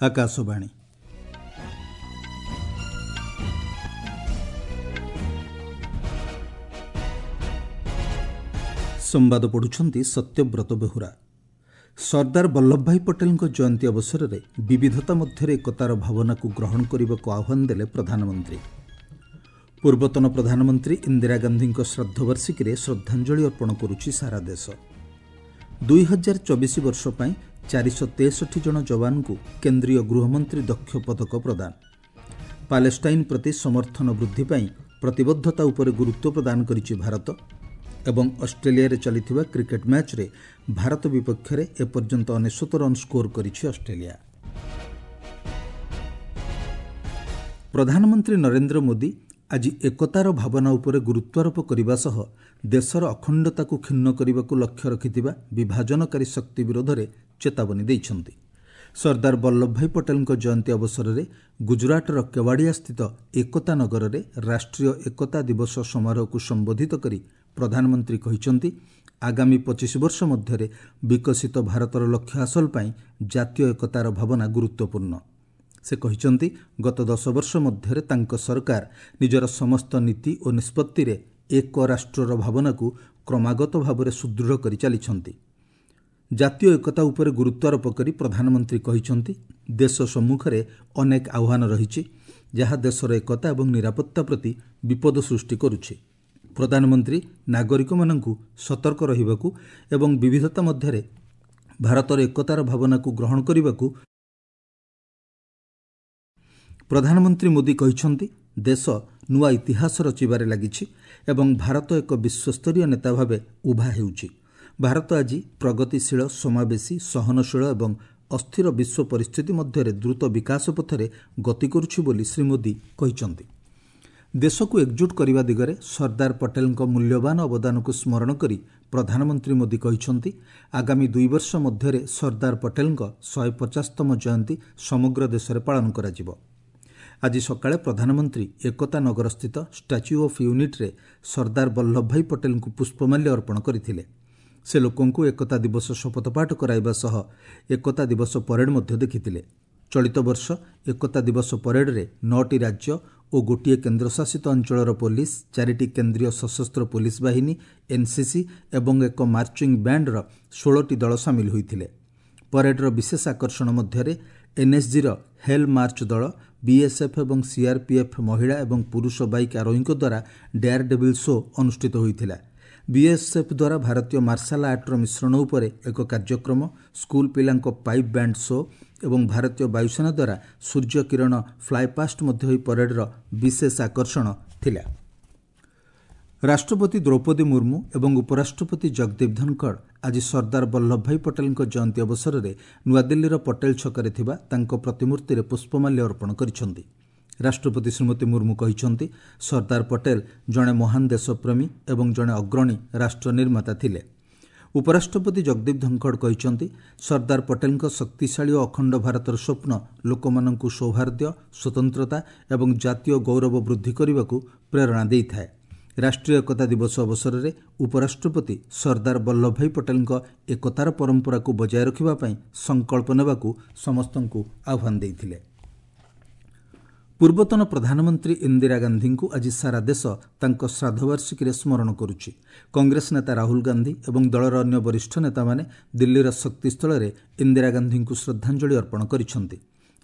ଆକାଶବାଣୀ। ସମ୍ବାଦ ପଢ଼ୁଛନ୍ତି ସତ୍ୟବ୍ରତ ବେହୁରା। ସର୍ଦ୍ଦାର ବଲ୍ଲଭଭାଇ ପଟେଲଙ୍କ ଜୟନ୍ତୀ ଅବସରରେ ବିବିଧତା ମଧ୍ୟରେ ଏକତାର ଭାବନାକୁ ଗ୍ରହଣ କରିବାକୁ ଆହ୍ୱାନ ଦେଲେ ପ୍ରଧାନମନ୍ତ୍ରୀ। ପୂର୍ବତନ ପ୍ରଧାନମନ୍ତ୍ରୀ ଇନ୍ଦିରା ଗାନ୍ଧୀଙ୍କ ଶ୍ରାଦ୍ଧବାର୍ଷିକୀରେ ଶ୍ରଦ୍ଧାଞ୍ଜଳି ଅର୍ପଣ କରୁଛି ସାରା ଦେଶ। 2024 ବର୍ଷ ପାଇଁ 463 ଜଣ ଯବାନଙ୍କୁ କେନ୍ଦ୍ରୀୟ ଗୃହମନ୍ତ୍ରୀ ଦକ୍ଷ ପଦକ ପ୍ରଦାନ। ପାଲେଷ୍ଟାଇନ୍ ପ୍ରତି ସମର୍ଥନ ବୃଦ୍ଧି ପାଇଁ ପ୍ରତିବଦ୍ଧତା ଉପରେ ଗୁରୁତ୍ୱ ପ୍ରଦାନ କରିଛି ଭାରତ। ଏବଂ ଅଷ୍ଟ୍ରେଲିଆରେ ଚାଲିଥିବା କ୍ରିକେଟ୍ ମ୍ୟାଚ୍ରେ ଭାରତ ବିପକ୍ଷରେ ଏପର୍ଯ୍ୟନ୍ତ 99 ରନ୍ ସ୍କୋର କରିଛି ଅଷ୍ଟ୍ରେଲିଆ। ପ୍ରଧାନମନ୍ତ୍ରୀ ନରେନ୍ଦ୍ର ମୋଦି ଆଜି ଏକତାର ଭାବନା ଉପରେ ଗୁରୁତ୍ୱାରୋପ କରିବା ସହ ଦେଶର ଅଖଣ୍ଡତାକୁ କ୍ଷୁଣ୍ଣ କରିବାକୁ ଲକ୍ଷ୍ୟ ରଖିଥିବା ବିଭାଜନକାରୀ ଶକ୍ତି ବିରୋଧରେ ଚେତାବନୀ ଦେଇଛନ୍ତି। ସର୍ଦ୍ଦାର ବଲ୍ଲଭଭାଇ ପଟେଲଙ୍କ ଜୟନ୍ତୀ ଅବସରରେ ଗୁଜରାଟର କେୱାଡ଼ିଆସ୍ଥିତ ଏକତା ନଗରରେ ରାଷ୍ଟ୍ରୀୟ ଏକତା ଦିବସ ସମାରୋହକୁ ସମ୍ବୋଧିତ କରି ପ୍ରଧାନମନ୍ତ୍ରୀ କହିଛନ୍ତି, ଆଗାମୀ 25 ବର୍ଷ ମଧ୍ୟରେ ବିକଶିତ ଭାରତର ଲକ୍ଷ୍ୟ ହାସଲ ପାଇଁ ଜାତୀୟ ଏକତାର ଭାବନା ଗୁରୁତ୍ୱପୂର୍ଣ୍ଣ। ସେ କହିଛନ୍ତି, ଗତ 10 ବର୍ଷ ମଧ୍ୟରେ ତାଙ୍କ ସରକାର ନିଜର ସମସ୍ତ ନୀତି ଓ ନିଷ୍ପତ୍ତିରେ ଏକ ରାଷ୍ଟ୍ରର ଭାବନାକୁ କ୍ରମାଗତ ଭାବରେ ସୁଦୃଢ଼ କରି ଚାଲିଛନ୍ତି। ଜାତୀୟ ଏକତା ଉପରେ ଗୁରୁତ୍ୱାରୋପ କରି ପ୍ରଧାନମନ୍ତ୍ରୀ କହିଛନ୍ତି, ଦେଶ ସମ୍ମୁଖରେ ଅନେକ ଆହ୍ୱାନ ରହିଛି, ଯାହା ଦେଶର ଏକତା ଏବଂ ନିରାପତ୍ତା ପ୍ରତି ବିପଦ ସୃଷ୍ଟି କରୁଛି। ପ୍ରଧାନମନ୍ତ୍ରୀ ନାଗରିକମାନଙ୍କୁ ସତର୍କ ରହିବାକୁ ଏବଂ ବିବିଧତା ମଧ୍ୟରେ ଭାରତର ଏକତାର ଭାବନାକୁ ଗ୍ରହଣ କରିବାକୁ ପ୍ରଧାନମନ୍ତ୍ରୀ ମୋଦି କହିଛନ୍ତି, ଦେଶ ନୂଆ ଇତିହାସ ରଚିବାରେ ଲାଗିଛି ଏବଂ ଭାରତ ଏକ ବିଶ୍ୱସ୍ତରୀୟ ନେତା ଭାବେ ଉଭା ହେଉଛି। ଭାରତ ଆଜି ପ୍ରଗତିଶୀଳ, ସମାବେଶୀ, ସହନଶୀଳ ଏବଂ ଅସ୍ଥିର ବିଶ୍ୱ ପରିସ୍ଥିତି ମଧ୍ୟରେ ଦ୍ରୁତ ବିକାଶ ପଥରେ ଗତି କରୁଛି ବୋଲି ଶ୍ରୀ ମୋଦି କହିଛନ୍ତି। ଦେଶକୁ ଏକଜୁଟ କରିବା ଦିଗରେ ସର୍ଦ୍ଦାର ପଟେଲଙ୍କ ମୂଲ୍ୟବାନ ଅବଦାନକୁ ସ୍ମରଣ କରି ପ୍ରଧାନମନ୍ତ୍ରୀ ମୋଦି କହିଛନ୍ତି, ଆଗାମୀ 2 ବର୍ଷ ମଧ୍ୟରେ ସର୍ଦ୍ଦାର ପଟେଲଙ୍କ 150ତମ ଜୟନ୍ତୀ ସମଗ୍ର ଦେଶରେ ପାଳନ କରାଯିବ। ଆଜି ସକାଳେ ପ୍ରଧାନମନ୍ତ୍ରୀ ଏକତା ନଗରସ୍ଥିତ ଷ୍ଟାଚ୍ୟୁ ଅଫ୍ ୟୁନିଟ୍ରେ ସର୍ଦ୍ଦାର ବଲ୍ଲଭଭାଇ ପଟେଲଙ୍କୁ ପୁଷ୍ପମାଲ୍ୟ ଅର୍ପଣ କରିଥିଲେ। ସେ ଲୋକଙ୍କୁ ଏକତା ଦିବସ ଶପଥପାଠ କରାଇବା ସହ ଏକତା ଦିବସ ପରେଡ୍ ମଧ୍ୟ ଦେଖିଥିଲେ। ଚଳିତ ବର୍ଷ ଏକତା ଦିବସ ପରେଡ୍ରେ 9ଟି ରାଜ୍ୟ ଓ ଗୋଟିଏ କେନ୍ଦ୍ରଶାସିତ ଅଞ୍ଚଳର ପୋଲିସ, 4ଟି କେନ୍ଦ୍ରୀୟ ସଶସ୍ତ୍ର ପୋଲିସ ବାହିନୀ, ଏନ୍ସିସି ଏବଂ ଏକ ମାର୍ଚିଂ ବ୍ୟାଣ୍ଡର 16ଟି ଦଳ ସାମିଲ ହୋଇଥିଲେ। ପରେଡ୍ର ବିଶେଷ ଆକର୍ଷଣ ମଧ୍ୟରେ ଏନ୍ଏସ୍ଜିର ହେଲ୍ ମାର୍ଚ୍ଚ ଦଳ, ବିଏସ୍ଏଫ୍ ଏବଂ ସିଆର୍ପିଏଫ୍ ମହିଳା ଏବଂ ପୁରୁଷ ବାଇକ୍ ଆରୋହୀଙ୍କ ଦ୍ୱାରା ଡେୟାର ଡେଭିଲ୍ ଶୋ ଅନୁଷ୍ଠିତ ହୋଇଥିଲା। ବିଏସ୍ଏଫ୍ ଦ୍ୱାରା ଭାରତୀୟ ମାର୍ଶାଲ ଆର୍ଟର ମିଶ୍ରଣ ଉପରେ ଏକ କାର୍ଯ୍ୟକ୍ରମ, ସ୍କୁଲ ପିଲାଙ୍କ ପାଇପ୍ ବ୍ୟାଣ୍ଡ ଶୋ ଏବଂ ଭାରତୀୟ ବାୟୁସେନା ଦ୍ୱାରା ସୂର୍ଯ୍ୟ କିରଣ ଫ୍ଲାଏପାଷ୍ଟ ମଧ୍ୟ ଏହି ପରେଡ୍ର ବିଶେଷ ଆକର୍ଷଣ ଥିଲା। ରାଷ୍ଟ୍ରପତି ଦ୍ରୌପଦୀ ମୁର୍ମୁ ଏବଂ ଉପରାଷ୍ଟ୍ରପତି ଜଗଦୀପ ଧନଖଡ଼ ଆଜି ସର୍ଦ୍ଦାର ବଲ୍ଲଭଭାଇ ପଟେଲଙ୍କ ଜୟନ୍ତୀ ଅବସରରେ ନୂଆଦିଲ୍ଲୀର ପଟେଲ ଛକରେ ଥିବା ତାଙ୍କ ପ୍ରତିମୂର୍ତ୍ତିରେ ପୁଷ୍ପମାଲ୍ୟ ଅର୍ପଣ କରିଛନ୍ତି। ରାଷ୍ଟ୍ରପତି ଶ୍ରୀମତୀ ମୁର୍ମୁ କହିଛନ୍ତି, ସର୍ଦ୍ଦାର ପଟେଲ ଜଣେ ମହାନ ଦେଶପ୍ରେମୀ ଏବଂ ଜଣେ ଅଗ୍ରଣୀ ରାଷ୍ଟ୍ର ନିର୍ମାତା ଥିଲେ। ଉପରାଷ୍ଟ୍ରପତି ଜଗଦୀପ ଧନଖଡ଼ କହିଛନ୍ତି, ସର୍ଦ୍ଦାର ପଟେଲଙ୍କ ଶକ୍ତିଶାଳୀ ଓ ଅଖଣ୍ଡ ଭାରତର ସ୍ୱପ୍ନ ଲୋକମାନଙ୍କୁ ସୌହାର୍ଦ୍ଦ୍ୟ, ସ୍ୱତନ୍ତ୍ରତା ଏବଂ ଜାତୀୟ ଗୌରବ ବୃଦ୍ଧି କରିବାକୁ ପ୍ରେରଣା ଦେଇଥାଏ। ରାଷ୍ଟ୍ରୀୟ ଏକତା ଦିବସ ଅବସରରେ ଉପରାଷ୍ଟ୍ରପତି ସର୍ଦ୍ଦାର ବଲ୍ଲଭଭାଇ ପଟେଲଙ୍କ ଏକତାର ପରମ୍ପରାକୁ ବଜାୟ ରଖିବା ପାଇଁ ସଂକଳ୍ପ ନେବାକୁ ସମସ୍ତଙ୍କୁ ଆହ୍ୱାନ ଦେଇଥିଲେ। ପୂର୍ବତନ ପ୍ରଧାନମନ୍ତ୍ରୀ ଇନ୍ଦିରା ଗାନ୍ଧୀଙ୍କୁ ଆଜି ସାରା ଦେଶ ତାଙ୍କ ଶ୍ରାଦ୍ଧବାର୍ଷିକୀରେ ସ୍ମରଣ କରୁଛି। କଂଗ୍ରେସ ନେତା ରାହୁଲ ଗାନ୍ଧୀ ଏବଂ ଦଳର ଅନ୍ୟ ବରିଷ୍ଠ ନେତାମାନେ ଦିଲ୍ଲୀର ଶକ୍ତିସ୍ଥଳରେ ଇନ୍ଦିରା ଗାନ୍ଧୀଙ୍କୁ ଶ୍ରଦ୍ଧାଞ୍ଜଳି ଅର୍ପଣ କରିଛନ୍ତି।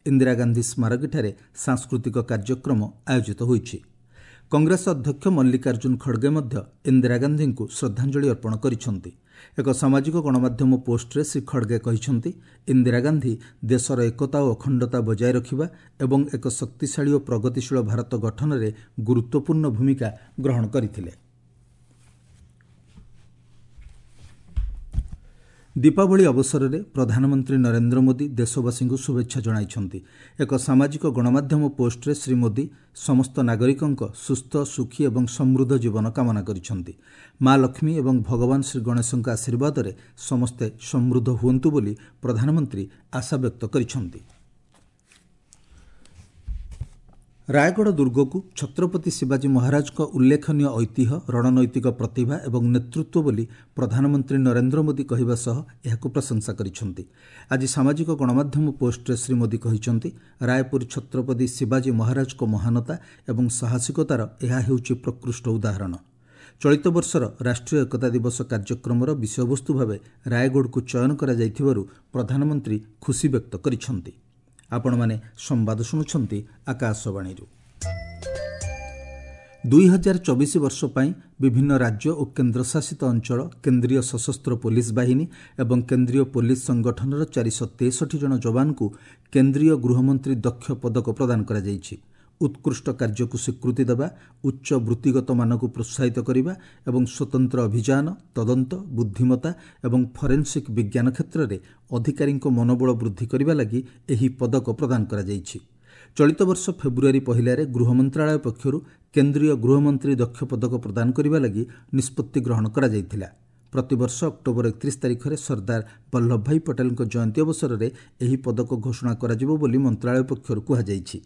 ଇନ୍ଦିରା ଗାନ୍ଧୀ ସ୍ମାରକୀଠାରେ ସାଂସ୍କୃତିକ କାର୍ଯ୍ୟକ୍ରମ ଆୟୋଜିତ ହୋଇଛି। କଂଗ୍ରେସ ଅଧ୍ୟକ୍ଷ ମଲ୍ଲିକାର୍ଜୁନ ଖଡ଼ଗେ ମଧ୍ୟ ଇନ୍ଦିରା ଗାନ୍ଧୀଙ୍କୁ ଶ୍ରଦ୍ଧାଞ୍ଜଳି ଅର୍ପଣ କରିଛନ୍ତି। ଏକ ସାମାଜିକ ଗଣମାଧ୍ୟମ ପୋଷ୍ଟରେ ଶ୍ରୀ ଖଡ଼ଗେ କହିଛନ୍ତି, ଇନ୍ଦିରା ଗାନ୍ଧୀ ଦେଶର ଏକତା ଓ ଅଖଣ୍ଡତା ବଜାୟ ରଖିବା ଏବଂ ଏକ ଶକ୍ତିଶାଳୀ ଓ ପ୍ରଗତିଶୀଳ ଭାରତ ଗଠନରେ ଗୁରୁତ୍ୱପୂର୍ଣ୍ଣ ଭୂମିକା ଗ୍ରହଣ କରିଥିଲେ। ଦୀପାବଳି ଅବସରରେ ପ୍ରଧାନମନ୍ତ୍ରୀ ନରେନ୍ଦ୍ର ମୋଦି ଦେଶବାସୀଙ୍କୁ ଶୁଭେଚ୍ଛା ଜଣାଇଛନ୍ତି। ଏକ ସାମାଜିକ ଗଣମାଧ୍ୟମ ପୋଷ୍ଟରେ ଶ୍ରୀ ମୋଦି ସମସ୍ତ ନାଗରିକଙ୍କ ସୁସ୍ଥ, ସୁଖୀ ଏବଂ ସମୃଦ୍ଧ ଜୀବନ କାମନା କରିଛନ୍ତି। ମା ଲକ୍ଷ୍ମୀ ଏବଂ ଭଗବାନ ଶ୍ରୀ ଗଣେଶଙ୍କ ଆଶୀର୍ବାଦରେ ସମସ୍ତେ ସମୃଦ୍ଧ ହୁଅନ୍ତୁ ବୋଲି ପ୍ରଧାନମନ୍ତ୍ରୀ ଆଶା ବ୍ୟକ୍ତ କରିଛନ୍ତି। ରାୟଗଡ଼ ଦୁର୍ଗକୁ ଛତ୍ରପତି ଶିବାଜୀ ମହାରାଜଙ୍କ ଉଲ୍ଲେଖନୀୟ ଐତିହ୍ୟ, ରଣନୈତିକ ପ୍ରତିଭା ଏବଂ ନେତୃତ୍ୱ ବୋଲି ପ୍ରଧାନମନ୍ତ୍ରୀ ନରେନ୍ଦ୍ର ମୋଦି କହିବା ସହ ଏହାକୁ ପ୍ରଶଂସା କରିଛନ୍ତି। ଆଜି ସାମାଜିକ ଗଣମାଧ୍ୟମ ପୋଷ୍ଟରେ ଶ୍ରୀ ମୋଦି କହିଛନ୍ତି, ରାୟପୁର ଛତ୍ରପତି ଶିବାଜୀ ମହାରାଜଙ୍କ ମହାନତା ଏବଂ ସାହସିକତାର ଏହା ହେଉଛି ପ୍ରକୃଷ୍ଟ ଉଦାହରଣ। ଚଳିତ ବର୍ଷର ରାଷ୍ଟ୍ରୀୟ ଏକତା ଦିବସ କାର୍ଯ୍ୟକ୍ରମର ବିଷୟବସ୍ତୁ ଭାବେ ରାୟଗଡ଼କୁ ଚୟନ କରାଯାଇଥିବାରୁ ପ୍ରଧାନମନ୍ତ୍ରୀ ଖୁସି ବ୍ୟକ୍ତ କରିଛନ୍ତି। ଆପଣମାନେ ସମ୍ବାଦ ଶୁଣୁଛନ୍ତି ଆକାଶବାଣୀରୁ। 2024 ବର୍ଷ ପାଇଁ ବିଭିନ୍ନ ରାଜ୍ୟ ଓ କେନ୍ଦ୍ରଶାସିତ ଅଞ୍ଚଳ, କେନ୍ଦ୍ରୀୟ ସଶସ୍ତ୍ର ପୋଲିସ ବାହିନୀ ଏବଂ କେନ୍ଦ୍ରୀୟ ପୋଲିସ ସଂଗଠନର 463 ଜଣ ଯବାନଙ୍କୁ କେନ୍ଦ୍ରୀୟ ଗୃହମନ୍ତ୍ରୀ ଦକ୍ଷ ପଦକ ପ୍ରଦାନ କରାଯାଇଛି। ଉତ୍କୃଷ୍ଟ କାର୍ଯ୍ୟକୁ ସ୍ୱୀକୃତି ଦେବା, ଉଚ୍ଚ ବୃତ୍ତିଗତ ମାନକୁ ପ୍ରୋତ୍ସାହିତ କରିବା ଏବଂ ସ୍ୱତନ୍ତ୍ର ଅଭିଯାନ, ତଦନ୍ତ, ବୁଦ୍ଧିମତା ଏବଂ ଫରେନ୍ସିକ୍ ବିଜ୍ଞାନ କ୍ଷେତ୍ରରେ ଅଧିକାରୀଙ୍କ ମନୋବଳ ବୃଦ୍ଧି କରିବା ଲାଗି ଏହି ପଦକ ପ୍ରଦାନ କରାଯାଇଛି। ଚଳିତ ବର୍ଷ ଫେବୃଆରୀ 1ରେ ଗୃହ ମନ୍ତ୍ରଣାଳୟ ପକ୍ଷରୁ କେନ୍ଦ୍ରୀୟ ଗୃହମନ୍ତ୍ରୀ ଦକ୍ଷ ପଦକ ପ୍ରଦାନ କରିବା ଲାଗି ନିଷ୍ପତ୍ତି ଗ୍ରହଣ କରାଯାଇଥିଲା। ପ୍ରତିବର୍ଷ ଅକ୍ଟୋବର 31 ତାରିଖରେ ସର୍ଦ୍ଦାର ବଲ୍ଲଭଭାଇ ପଟେଲଙ୍କ ଜୟନ୍ତୀ ଅବସରରେ ଏହି ପଦକ ଘୋଷଣା କରାଯିବ ବୋଲି ମନ୍ତ୍ରଣାଳୟ ପକ୍ଷରୁ କୁହାଯାଇଛି।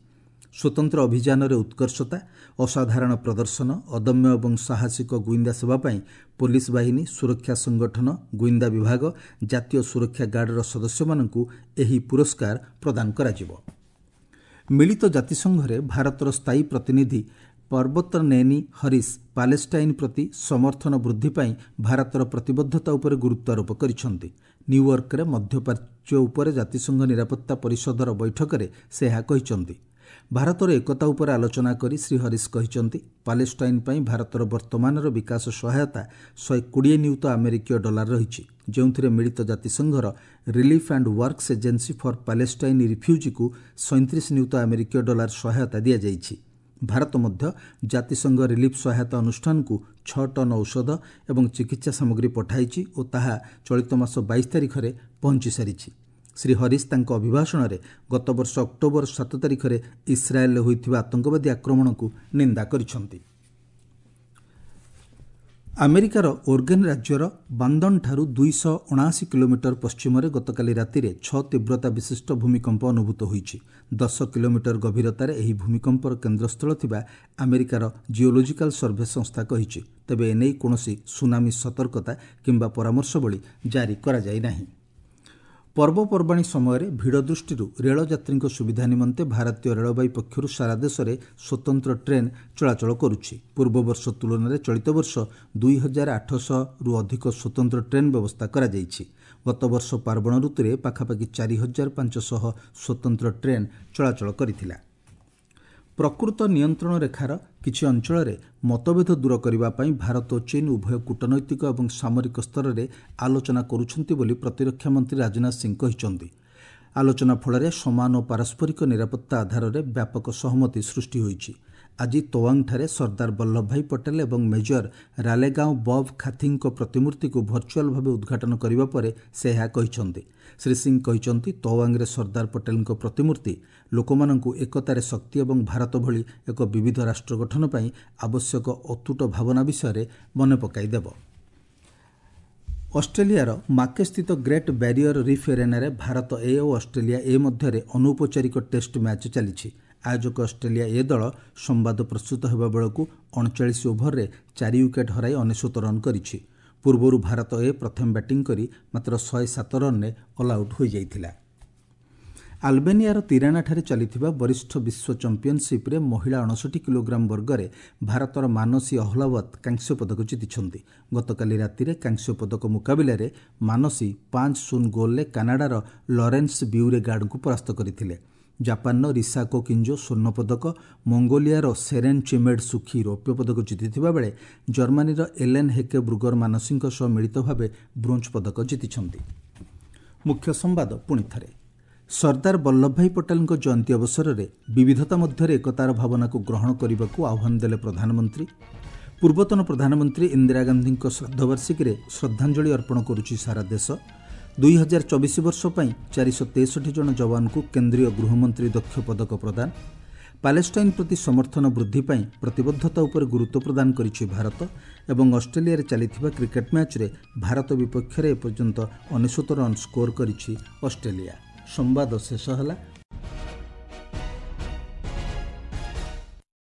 ସ୍ୱତନ୍ତ୍ର ଅଭିଯାନରେ ଉତ୍କର୍ଷତା, ଅସାଧାରଣ ପ୍ରଦର୍ଶନ, ଅଦମ୍ୟ ଏବଂ ସାହସିକ ଗୁଇନ୍ଦା ସେବା ପାଇଁ ପୋଲିସ ବାହିନୀ, ସୁରକ୍ଷା ସଂଗଠନ, ଗୁଇନ୍ଦା ବିଭାଗ, ଜାତୀୟ ସୁରକ୍ଷା ଗାର୍ଡର ସଦସ୍ୟମାନଙ୍କୁ ଏହି ପୁରସ୍କାର ପ୍ରଦାନ କରାଯିବ। ମିଳିତ ଜାତିସଂଘରେ ଭାରତର ସ୍ଥାୟୀ ପ୍ରତିନିଧି ପର୍ବତନେନି ହରିଶ ପାଲେଷ୍ଟାଇନ୍ ପ୍ରତି ସମର୍ଥନ ବୃଦ୍ଧି ପାଇଁ ଭାରତର ପ୍ରତିବଦ୍ଧତା ଉପରେ ଗୁରୁତ୍ୱାରୋପ କରିଛନ୍ତି। ନ୍ୟୁୟର୍କରେ ମଧ୍ୟପ୍ରାଚ୍ୟ ଉପରେ ଜାତିସଂଘ ନିରାପତ୍ତା ପରିଷଦର ବୈଠକରେ ସେ ଏହା କହିଛନ୍ତି। ଭାରତର ଏକତା ଉପରେ ଆଲୋଚନା କରି ଶ୍ରୀ ହରିଶ କହିଛନ୍ତି, ପାଲେଷ୍ଟାଇନ୍ ପାଇଁ ଭାରତର ବର୍ତ୍ତମାନର ବିକାଶ ସହାୟତା 120 ନିୟୁତ ଆମେରିକୀୟ ଡଲାର ରହିଛି, ଯେଉଁଥିରେ ମିଳିତ ଜାତିସଂଘର Relief and Works Agency for Palestine ରିଫ୍ୟୁଜିକୁ 37 ନିୟୁତ ଆମେରିକୀୟ ଡଲାର ସହାୟତା ଦିଆଯାଇଛି। ଭାରତ ମଧ୍ୟ ଜାତିସଂଘ ରିଲିଫ୍ ସହାୟତା ଅନୁଷ୍ଠାନକୁ 6 ଟନ୍ ଔଷଧ ଏବଂ ଚିକିତ୍ସା ସାମଗ୍ରୀ ପଠାଇଛି ଓ ତାହା ଚଳିତ ମାସ 22 ତାରିଖରେ ପହଞ୍ଚି ସାରିଛି। ଶ୍ରୀ ହରିଶ ତାଙ୍କ ଅଭିଭାଷଣରେ ଗତବର୍ଷ ଅକ୍ଟୋବର 7 ତାରିଖରେ ଇସ୍ରାଏଲରେ ହୋଇଥିବା ଆତଙ୍କବାଦୀ ଆକ୍ରମଣକୁ ନିନ୍ଦା କରିଛନ୍ତି। ଆମେରିକାର ଓର୍ଗେନ୍ ରାଜ୍ୟର ବାନ୍ଦନଠାରୁ 279 କିଲୋମିଟର ପଶ୍ଚିମରେ ଗତକାଲି ରାତିରେ 6 ତୀବ୍ରତା ବିଶିଷ୍ଟ ଭୂମିକମ୍ପ ଅନୁଭୂତ ହୋଇଛି। 10 କିଲୋମିଟର ଗଭୀରତାରେ ଏହି ଭୂମିକମ୍ପର କେନ୍ଦ୍ରସ୍ଥଳ ଥିବା ଆମେରିକାର ଜିଓଲୋଜିକାଲ ସର୍ଭେ ସଂସ୍ଥା କହିଛି। ତେବେ ଏନେଇ କୌଣସି ସୁନାମି ସତର୍କତା କିମ୍ବା ପରାମର୍ଶବଳୀ ଜାରି କରାଯାଇ ନାହିଁ। ପର୍ବପର୍ବାଣୀ ସମୟରେ ଭିଡ଼ ଦୃଷ୍ଟିରୁ ରେଳଯାତ୍ରୀଙ୍କ ସୁବିଧା ନିମନ୍ତେ ଭାରତୀୟ ରେଳବାଇ ପକ୍ଷରୁ ସାରା ଦେଶରେ ସ୍ୱତନ୍ତ୍ର ଟ୍ରେନ୍ ଚଳାଚଳ କରୁଛି। ପୂର୍ବବର୍ଷ ତୁଳନାରେ ଚଳିତ ବର୍ଷ 2800ରୁ ଅଧିକ ସ୍ୱତନ୍ତ୍ର ଟ୍ରେନ୍ ବ୍ୟବସ୍ଥା କରାଯାଇଛି। ଗତବର୍ଷ ପାର୍ବଣ ଋତୁରେ ପାଖାପାଖି 4500 ସ୍ୱତନ୍ତ୍ର ଟ୍ରେନ୍ ଚଳାଚଳ କରିଥିଲା। ପ୍ରକୃତ ନିୟନ୍ତ୍ରଣ ରେଖାର କିଛି ଅଞ୍ଚଳରେ ମତଭେଦ ଦୂର କରିବା ପାଇଁ ଭାରତ ଓ ଚୀନ୍ ଉଭୟ କୂଟନୈତିକ ଏବଂ ସାମରିକ ସ୍ତରରେ ଆଲୋଚନା କରୁଛନ୍ତି ବୋଲି ପ୍ରତିରକ୍ଷା ମନ୍ତ୍ରୀ ରାଜନାଥ ସିଂ କହିଛନ୍ତି। ଆଲୋଚନା ଫଳରେ ସମାନ ଓ ପାରସ୍ପରିକ ନିରାପତ୍ତା ଆଧାରରେ ବ୍ୟାପକ ସହମତି ସୃଷ୍ଟି ହୋଇଛି। ଆଜି ତୱାଙ୍ଗଠାରେ ସର୍ଦ୍ଦାର ବଲ୍ଲଭଭାଇ ପଟେଲ ଏବଂ ମେଜର ରାଲେଗାଓଁ ବବ୍ ଖାଥିଙ୍କ ପ୍ରତିମୂର୍ତ୍ତିକୁ ଭର୍ଚୁଆଲ ଭାବେ ଉଦ୍ଘାଟନ କରିବା ପରେ ସେ ଏହା କହିଛନ୍ତି। ଶ୍ରୀ ସିଂ କହିଛନ୍ତି, ତୱାଙ୍ଗରେ ସର୍ଦ୍ଦାର ପଟେଲଙ୍କ ପ୍ରତିମୂର୍ତ୍ତି ଲୋକମାନଙ୍କୁ ଏକତାରେ ଶକ୍ତି ଏବଂ ଭାରତ ଭଳି ଏକ ବିବିଧ ରାଷ୍ଟ୍ର ଗଠନ ପାଇଁ ଆବଶ୍ୟକ ଅତୁଟ ଭାବନା ବିଷୟରେ ମନେ ପକାଇଦେବ। ଅଷ୍ଟ୍ରେଲିଆର ମାକେସ୍ଥିତ ଗ୍ରେଟ୍ ବ୍ୟାରିୟର ରିଫ୍ ଏରେନାରେ ଭାରତ ଏ ଓ ଅଷ୍ଟ୍ରେଲିଆ ଏ ମଧ୍ୟରେ ଅନୌପଚାରିକ ଟେଷ୍ଟ ମ୍ୟାଚ୍ ଚାଲିଛି। ଆୟୋଜକ ଅଷ୍ଟ୍ରେଲିଆ ଏ ଦଳ ସମ୍ବାଦ ପ୍ରସ୍ତୁତ ହେବା ବେଳକୁ 39 ଓଭରରେ 4 ୱିକେଟ୍ ହରାଇ 99 ରନ୍ କରିଛି। ପୂର୍ବରୁ ଭାରତ ଏ ପ୍ରଥମେ ବ୍ୟାଟିଂ କରି ମାତ୍ର 107 ରନ୍ରେ ଅଲ୍ଆଉଟ୍ ହୋଇଯାଇଥିଲା। ଆଲବେନିଆର ତିରାନାଠାରେ ଚାଲିଥିବା ବରିଷ୍ଠ ବିଶ୍ୱ ଚାମ୍ପିୟନସିପ୍ରେ ମହିଳା 59 କିଲୋଗ୍ରାମ ବର୍ଗରେ ଭାରତର ମାନସୀ ଅହ୍ଲାୱତ କାଂସ୍ୟ ପଦକ ଜିତିଛନ୍ତି। ଗତକାଲି ରାତିରେ କାଂସ୍ୟ ପଦକ ମୁକାବିଲାରେ ମାନସୀ 5-0 ଗୋଲ୍ରେ କାନାଡାର ଲରେନ୍ସ ବ୍ୟୁରେଗାର୍ଡଙ୍କୁ ପରାସ୍ତ କରିଥିଲେ। ଜାପାନର ରିସାକୋ କିଞ୍ଜୋ ସ୍ୱର୍ଣ୍ଣ ପଦକ, ମଙ୍ଗୋଲିଆର ସେରେନ୍ ଚିମେଡ୍ ସୁଖୀ ରୌପ୍ୟ ପଦକ ଜିତିଥିବା ବେଳେ ଜର୍ମାନୀର ଏଲେନ୍ ହେକେ ବ୍ରୁଗର ମାନସୀଙ୍କ ସହ ମିଳିତ ଭାବେ ବ୍ରୋଞ୍ଜ ପଦକ ଜିତିଛନ୍ତି। ମୁଖ୍ୟ ସମ୍ବାଦ ପୁଣି ଥରେ। ସର୍ଦ୍ଦାର ବଲ୍ଲଭଭାଇ ପଟେଲଙ୍କ ଜୟନ୍ତୀ ଅବସରରେ ବିବିଧତା ମଧ୍ୟରେ ଏକତାର ଭାବନାକୁ ଗ୍ରହଣ କରିବାକୁ ଆହ୍ୱାନ ଦେଲେ ପ୍ରଧାନମନ୍ତ୍ରୀ। ପୂର୍ବତନ ପ୍ରଧାନମନ୍ତ୍ରୀ ଇନ୍ଦିରା ଗାନ୍ଧୀଙ୍କ ଶ୍ରାଦ୍ଧବାର୍ଷିକୀରେ ଶ୍ରଦ୍ଧାଞ୍ଜଳି ଅର୍ପଣ କରୁଛି ସାରା ଦେଶ। 2024 ବର୍ଷ ପାଇଁ 463 ଜଣ ଯବାନଙ୍କୁ କେନ୍ଦ୍ରୀୟ ଗୃହମନ୍ତ୍ରୀ ଦକ୍ଷ ପଦକ ପ୍ରଦାନ। ପାଲେଷ୍ଟାଇନ୍ ପ୍ରତି ସମର୍ଥନ ବୃଦ୍ଧି ପାଇଁ ପ୍ରତିବଦ୍ଧତା ଉପରେ ଗୁରୁତ୍ୱ ପ୍ରଦାନ କରିଛି ଭାରତ। ଏବଂ ଅଷ୍ଟ୍ରେଲିଆରେ ଚାଲିଥିବା କ୍ରିକେଟ୍ ମ୍ୟାଚ୍ରେ ଭାରତ ବିପକ୍ଷରେ ଏପର୍ଯ୍ୟନ୍ତ 99 ରନ୍ ସ୍କୋର କରିଛି ଅଷ୍ଟ୍ରେଲିଆ। ସମ୍ବାଦ ଶେଷ ହେଲା।